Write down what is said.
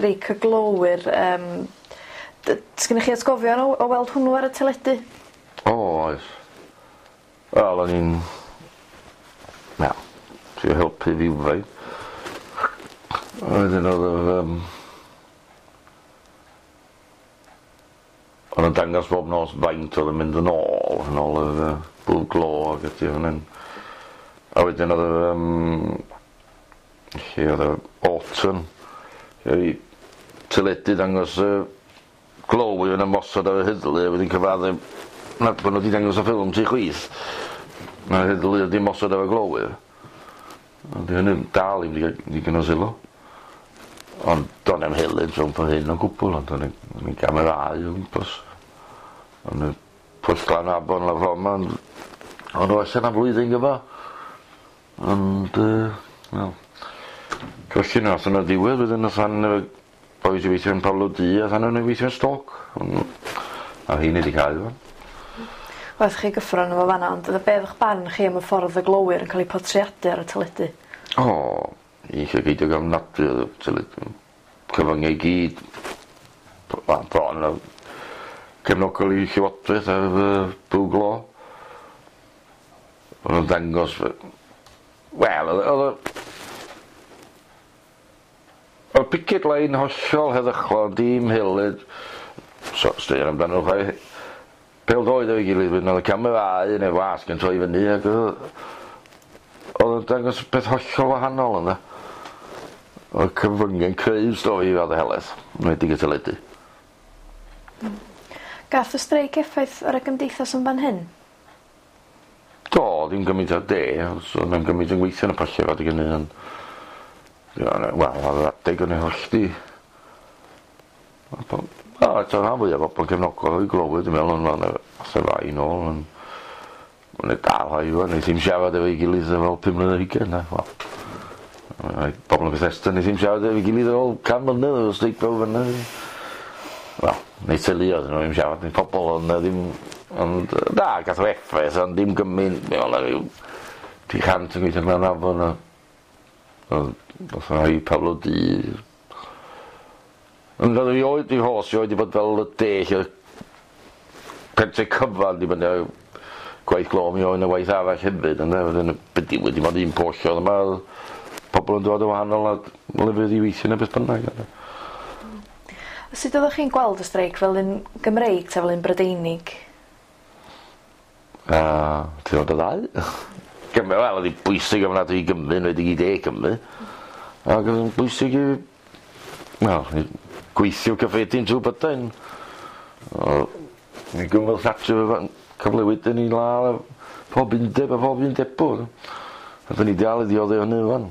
Streic y glowyr yym sgynnoch chi atgofion o weld hwnnw ar y teledu? O oes. Wel o'n i'n wel trio helpu rywfaint. A wedyn o'dd yr yym O'n nw'n dangos bob nos faint o'dd yn mynd yn ôl yn ôl yr yy bwrw glo ag ati o'n yn a wedyn o'dd yr yym lle o'dd y autumn lle teledu dangos y glowyr yn ymosod ar y heddlu a wedyn cyfadde na bo' n'w 'di dangos y ffilm tu chwith na'r heddlu o'dd 'di ymosod ar y glowyr. Ond 'di hynny dal ddim 'di ga'l ddigon o sylw. Ond do' 'na'm helynt rhwng fy hyn o gwbwl ond o'n i o'n i'n camerâu o gwmpas. O'n y pwll glan afon lawr ffor 'ma ond o'n nw allan am flwyddyn gyfa. Ond yy wel felly nath yna ddiwedd wedyn nath an yy bois i weithio yn Pablo Du a than o'n i weithio yn Stoke on' a rheiny 'di cau ŵan. Wrth chi gyffro arno fo fan 'na ond yy be' o'dd 'ych barn chi am y ffordd y glowyr yn ca'l 'u portreadu ar y teledu? O i llygaid ofnadwy o'dd y teledu. Cyfyngau i gyd wel bron yn cefnogol i llywodraeth ar yy bwrw glo. O'n nw'n dangos wel o'dd o'dd y O'dd picket line hollol heddychlon dim helynt so straeon amdano chwaith. Pêl-droed efo'i gilydd wedyn o'dd y camerâu ne'r wasg yn troi fyny ag yy o'dd o'n dangos peth hollol wahanol ynde? O'dd cyfrynge'n creu stori i radde heleth, enwedig y teledu. Gath y streic effaith ar y gymdeithas yn fan hyn? Do, ddim gymaint â'r de, so o'dd na'm gymaint yn gweithio yn y pyllau adeg hynny ond wel ar yr adeg o'n i hollti o eto rhan fwya o bobol cefnogol i glowyr dwi'n meddwl ond ma' 'na falle rai nôl ond ma' 'na dal rhai ŵan neith ddim siarad efo'i gilydd ar ôl pum mlynedd ar hugen na wel ma' rhai bobol yn Bethesda neith ddim siarad efo'i gilydd ar ôl can mlynedd o streic fawr fyn 'na. Wel neu teuluoedd nhw ddim siarad neu pobol ond na ddim ond yy na gath o effaith ond dim gymaint mi o' 'na ryw 300 yn gweithio Glan Afon a O'dd nath rhai Pablo Du Ond o'dd erioed 'di rhos rioed 'di bod fel y de lle o'dd pentre cyfan 'di fyny ar gwaith glo mi oedd 'na waith arall hefyd ynde wedyn y be' digwydd dim ond un pwll o'dd yma o'dd pobol yn dod o wahanol ad- lefydd i weithio ne' beth bynnag ynde? Sut oddech chi'n gweld y streic fel un Gymreig 'ta fel un Brydeinig? Yy ti weld y ddau? Gymru wel o'dd 'i bwysig ofnadwy i Gymru enwedig i de Cymru. Ag o'dd o'n bwysig i wel i gweithio cyffredin trw Brydain. O mi gymrodd Thatcher y cyfle wedyn i ladd pob undeb a pob undebwr. A 'dyn ni dal i ddiodde hynny rŵan.